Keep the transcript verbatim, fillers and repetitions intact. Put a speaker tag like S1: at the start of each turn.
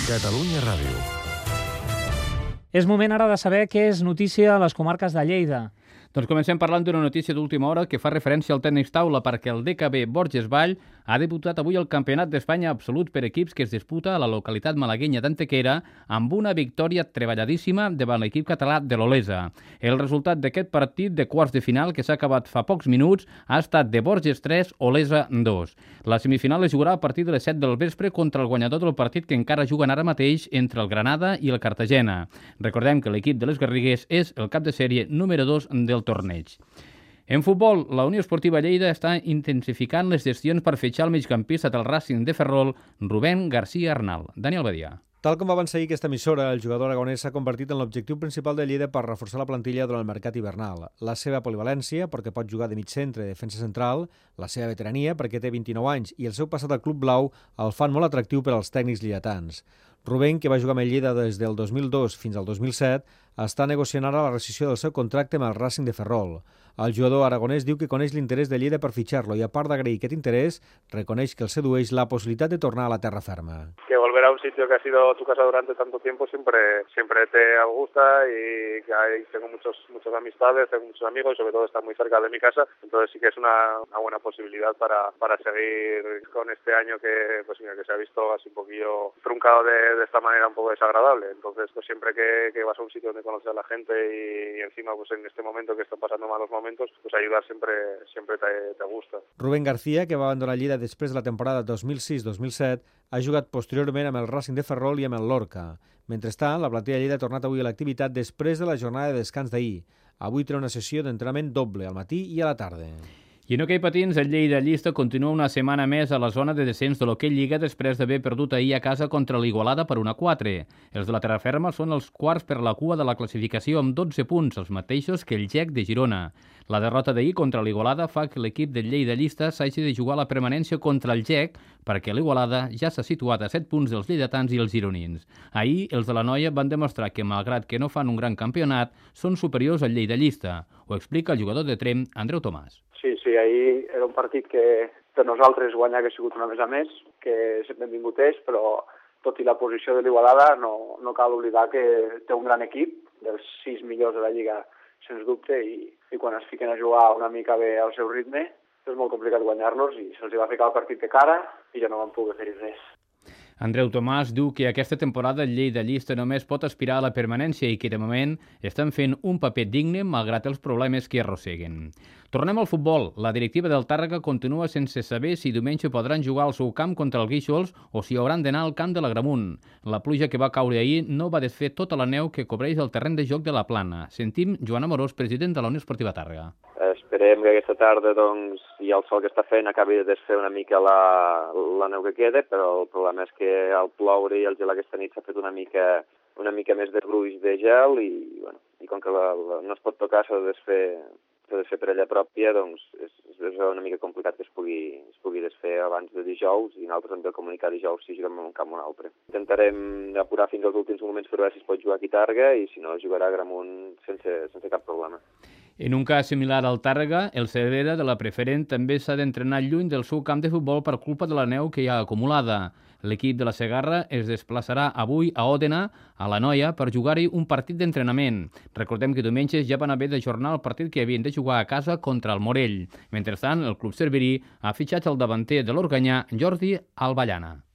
S1: Catalunya Ràdio.
S2: És moment ara de saber què és notícia a les comarques de Lleida.
S3: Doncs comencem parlant d'una notícia d'última hora que fa referència al tenis taula perquè el D K B Borges Vall ha debutat avui el Campionat d'Espanya absolut per equips que es disputa a la localitat malaguenya d'Antequera amb una victòria treballadíssima davant l'equip català de l'Olesa. El resultat d'aquest partit de quarts de final que s'ha acabat fa pocs minuts ha estat de Borges tres, Olesa dos. La semifinal es jugarà a partir de les set del vespre contra el guanyador del partit que encara juguen ara mateix entre el Granada i el Cartagena. Recordem que l'equip de les Garrigues és el cap de sèrie número dos del torneig. En futbol, la Unió Esportiva Lleida està intensificant les gestions per fitxar el migcampista del Racing de Ferrol, Rubén García Arnal. Daniel Badia.
S4: Tal com va avançar ahir aquesta emissora, el jugador aragonès s'ha convertit en l'objectiu principal de Lleida per reforçar la plantilla durant el mercat hivernal. La seva polivalència, perquè pot jugar de mig centre i defensa central, la seva veterania, perquè té vint-i-nou anys, i el seu passat al Club Blau el fan molt atractiu per als tècnics lleidatans. Rubén, que va jugar amb el Lleida des del dos mil dos fins al dos mil set, està negociant ara la rescissió del seu contracte amb el Racing de Ferrol. El jugador aragonès diu que coneix l'interès de Lleida per fitxar-lo i, a part d'agrair aquest interès, reconeix que el sedueix la possibilitat de tornar a la terra ferma.
S5: Que volver a un sitio que ha sido tu casa durante tanto tiempo siempre siempre te gusta y que ahí tengo muchos muchas amistades, tengo muchos amigos y sobre todo está muy cerca de mi casa, entonces sí que es una, una buena posibilidad para, para seguir con este año que pues mira, que se ha visto así un poquillo truncado de, de esta manera un poco desagradable, entonces pues siempre que, que vas a un sitio donde conoces a la gente y, y encima pues en este momento que están pasando malos momentos, pues ayudar siempre siempre te, te gusta.
S4: Rubén García, que va abandonar Lleida després de la temporada dos mil sis dos mil set, ha jugat posteriorment amb el Racing de Ferrol i amb el Lorca. Mentrestant, la plantilla de Lleida ha tornat avui a l'activitat després de la jornada de descans d'ahir. Avui té una sessió d'entrenament doble, al matí i a la tarda.
S3: I en hoquei patins, el Lleida Llista continua una setmana més a la zona de descens de l'hoquei Lliga després d'haver perdut ahir a casa contra l'Igualada per una quatre. Els de la terraferma són els quarts per la cua de la classificació amb dotze punts, els mateixos que el G E C de Girona. La derrota d'ahir contra l'Igualada fa que l'equip del Lleida Llista s'hagi de jugar la permanència contra el G E C perquè l'Igualada ja s'ha situat a set punts dels lleidatans i els gironins. Ahir, els de la Noia van demostrar que, malgrat que no fan un gran campionat, són superiors al Lleida Llista. Ho explica el jugador de Trem, Andreu Tomàs.
S6: Sí, sí, ahir era un partit que per nosaltres guanyar hagués sigut una més a més, que sempre hem vingut és, però tot i la posició de l'Igualada no, no cal oblidar que té un gran equip, dels sis millors de la Lliga, sens dubte, i, i quan es fiquen a jugar una mica bé al seu ritme, és molt complicat guanyar-los i se'ls va ficar el partit de cara i ja no van poder fer res.
S3: Andreu Tomàs diu que aquesta temporada el Lleida Llista només pot aspirar a la permanència i que de moment estan fent un paper digne malgrat els problemes que arrosseguen. Tornem al futbol. La directiva del Tàrrega continua sense saber si diumenge podran jugar al seu camp contra el Guíxols o si hauran d'anar al camp de l'Agramunt. La pluja que va caure ahir no va desfer tota la neu que cobreix el terreny de joc de la Plana. Sentim Joan Amorós, president de la Unió Esportiva Tàrrega.
S7: Esperem que aquesta tarda doncs, i el sol que està fent acabi de desfer una mica la, la neu que queda, però el problema és que al ploure i al gelar aquesta nit s'ha fet una mica, una mica més de gruix de gel i, bueno, i com que la, la, no es pot tocar s'ha de desfer, s'ha de fer per ella pròpia, doncs és, és una mica complicat que es pugui, es pugui desfer abans de dijous i nosaltres hem de comunicar dijous si juguem en un camp o un altre. Intentarem apurar fins als últims moments per veure si es pot jugar aquí a Tàrrega i si no jugarà a Agramunt sense, sense cap problema.
S3: En un cas similar al Tàrrega, el Cervera de la Preferent també s'ha d'entrenar lluny del seu camp de futbol per culpa de la neu que hi ha acumulada. L'equip de la Segarra es desplaçarà avui a Òdena, a la Noia, per jugar-hi un partit d'entrenament. Recordem que diumenge ja van haver d'ajornar el partit que havien de jugar a casa contra el Morell. Mentrestant, el club cerverí ha fitxat el davanter de l'Organyà, Jordi Alballana.